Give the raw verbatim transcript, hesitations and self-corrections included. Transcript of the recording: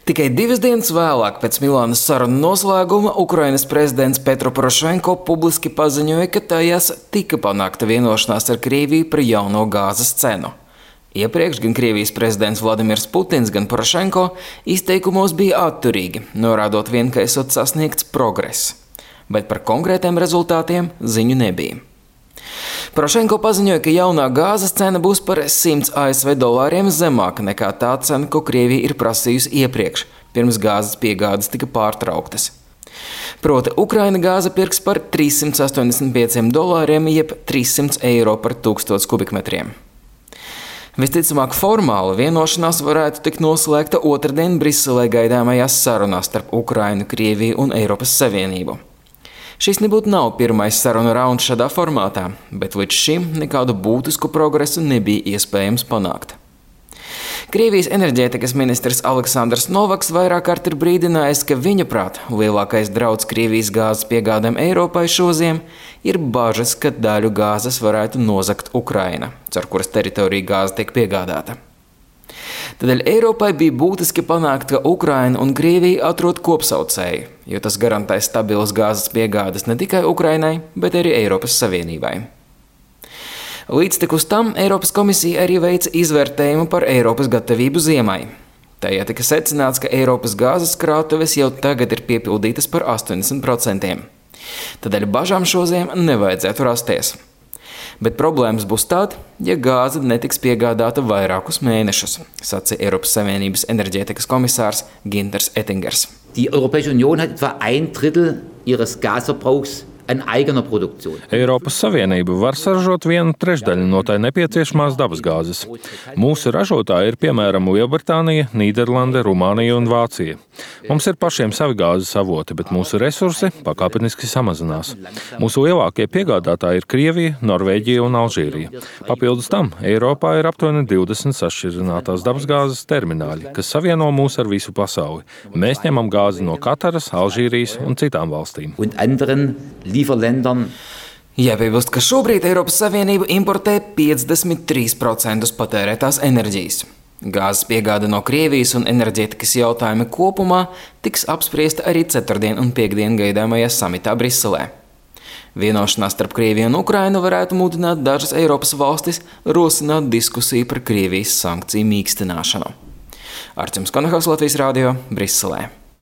Tikai divas dienas vēlāk pēc Milānas sarunu noslēguma Ukrainas prezidents Petro Porošenko publiski paziņoja, ka tajās tika panākta vienošanās ar Krieviju par jauno gāzes cenu. Iepriekš gan Krievijas prezidents Vladimirs Putins, gan Porošenko izteikumos bija atturīgi, norādot vien, ka esot sasniegts progress. Bet par konkrētiem rezultātiem ziņu nebija. Porošenko paziņoja, ka jaunā gāzes cena būs par simts A S V dolāriem zemāka nekā tā cena, ko Krievija ir prasījusi iepriekš, pirms gāzes piegādes tika pārtrauktas. Proti, Ukraina gāze pirks par trīs simti astoņdesmit pieciem dolāriem, jeb trīs simti eiro par tūkstots kubikmetriem. Visticamāk, formāla vienošanās varētu tikt noslēgta otrdien Briselē gaidāmajās sarunās starp Ukrainu, Krieviju un Eiropas Savienību. Šis nebūtu nav pirmais sarunu rauns šādā formātā, bet līdz šim nekādu būtisku progresu nebija iespējams panākt. Krievijas enerģētikas ministrs Aleksandrs Novaks vairāk kārt ir brīdinājis, ka viņa prāt lielākais drauds Krievijas gāzes piegādēm Eiropai šoziem ir bažas, ka daļu gāzes varētu nozagt Ukraina, caur kuras teritoriju gāze tiek piegādāta. Tādēļ Eiropai bija būtiski panākt, ka Ukraina un Krievija atrod kopsaucēju, jo tas garantēs stabilas gāzes piegādes ne tikai Ukrainai, bet arī Eiropas Savienībai. Līdztekus tam Eiropas komisija arī veica izvērtējumu par Eiropas gatavību ziemai. Tajā tika secināts, ka Eiropas gāzes krātuves jau tagad ir piepildītas par astoņdesmit procentiem. Tādēļ bažām šoziem nevajadzētu rasties. Bet problēmas būs tad, ja gāze netiks piegādāta vairākus mēnešus, sacīja Eiropas Savienības enerģētikas komisārs Günther Oettingers. Die Europäische Union hat etwa ein Drittel ihres Gasverbrauchs an eigener Produktion. Eiropas Savienība var saražot vienu trešdaļu no tai nepieciešamās dabasgāzes. Mūsu ražotāji ir piemēram Lielbritānija, Nīderlande, Rumānija un Vācija. Mums ir pašiem savi gāzes avoti, bet mūsu resursi pakāpeniski samazinās. Mūsu lielākie piegādātāji ir Krievija, Norvēģija un Alžīrija. Papildus tam Eiropā ir aptuveni divdesmit sašķirinātās dabasgāzes termināļi, kas savieno mūs ar visu pasauli. Mēs ņemam gāzi no Kataras, Alžīrijas un citām valstīm. Jāpiebilst, ka šobrīd Eiropas Savienība importē piecdesmit trīs procenti patērētās enerģijas. Gāzes piegāde no Krievijas un enerģētikas jautājumi kopumā tiks apspriesta arī ceturtdien un piekdien gaidāmajā samitā Briselē. Vienošanās starp Krieviju un Ukrainu varētu mudināt dažas Eiropas valstis rosināt diskusiju par Krievijas sankciju mīkstināšanu. Arčuns Konahaus, Latvijas radio, Briselē.